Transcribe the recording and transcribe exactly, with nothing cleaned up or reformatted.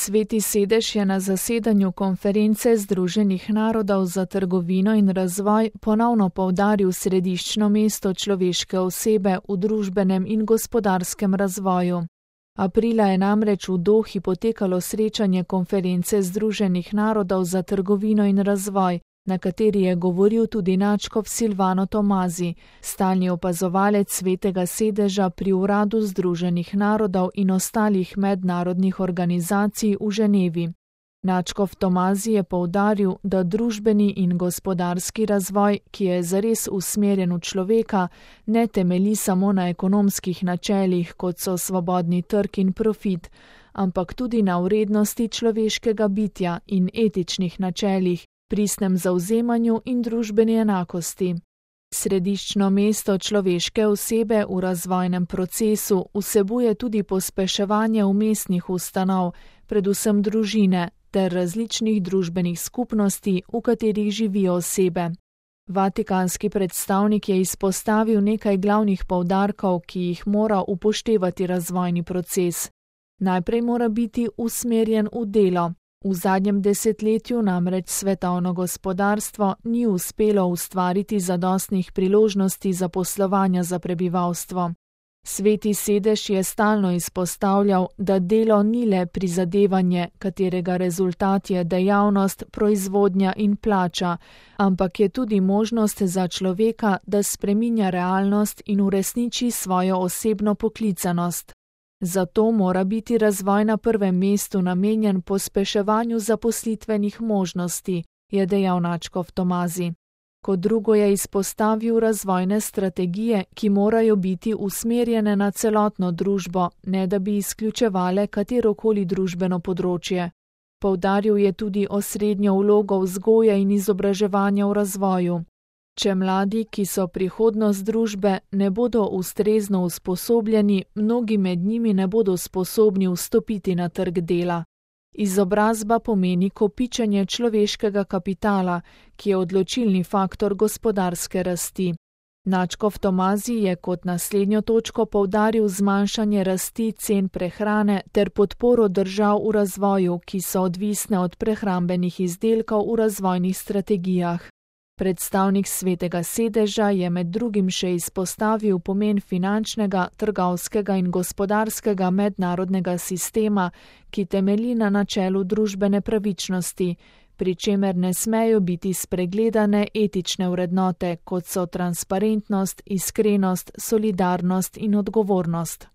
Sveti sedež je na zasedanju konference Združenih narodov za trgovino in razvoj ponovno poudaril središčno mesto človeške osebe v družbenem in gospodarskem razvoju. Aprila je namreč v Dohi potekalo srečanje konference Združenih narodov za trgovino in razvoj, na kateri je govoril tudi nadškof Silvano Tomazi, stalni opazovalec Svetega sedeža pri Uradu Združenih narodov in ostalih mednarodnih organizacij v Ženevi. Nadškof Tomazi je poudaril, da družbeni in gospodarski razvoj, ki je zares usmerjen v človeka, ne temelji samo na ekonomskih načelih, kot so svobodni trg in profit, ampak tudi na vrednosti človeškega bitja in etičnih načelih, pristnem zavzemanju in družbeni enakosti. Središčno mesto človeške osebe v razvojnem procesu vsebuje tudi pospeševanje umestnih ustanov, predvsem družine, ter različnih družbenih skupnosti, v katerih živijo osebe. Vatikanski predstavnik je izpostavil nekaj glavnih poudarkov, ki jih mora upoštevati razvojni proces. Najprej mora biti usmerjen v delo. V zadnjem desetletju namreč svetovno gospodarstvo ni uspelo ustvariti zadostnih priložnosti za poslovanja za prebivalstvo. Sveti sedež je stalno izpostavljal, da delo ni le prizadevanje, katerega rezultat je dejavnost, proizvodnja in plača, ampak je tudi možnost za človeka, da spreminja realnost in uresniči svojo osebno poklicanost. Zato mora biti razvoj na prvem mestu namenjen pospeševanju zaposlitvenih možnosti, je dejal nadškof Tomazi. Kot drugo je izpostavil razvojne strategije, ki morajo biti usmerjene na celotno družbo, ne da bi izključevale katerokoli družbeno področje. Poudaril je tudi osrednjo vlogo vzgoje in izobraževanja v razvoju. Če mladi, ki so prihodnost družbe, ne bodo ustrezno usposobljeni, mnogi med njimi ne bodo sposobni vstopiti na trg dela. Izobrazba pomeni kopičenje človeškega kapitala, ki je odločilni faktor gospodarske rasti. Nadškof Tomazi je kot naslednjo točko poudaril zmanjšanje rasti cen prehrane ter podporo držav v razvoju, ki so odvisne od prehrambenih izdelkov v razvojnih strategijah. Predstavnik Svetega sedeža je med drugim še izpostavil pomen finančnega, trgovskega in gospodarskega mednarodnega sistema, ki temelji na načelu družbene pravičnosti, pri čemer ne smejo biti spregledane etične vrednote, kot so transparentnost, iskrenost, solidarnost in odgovornost.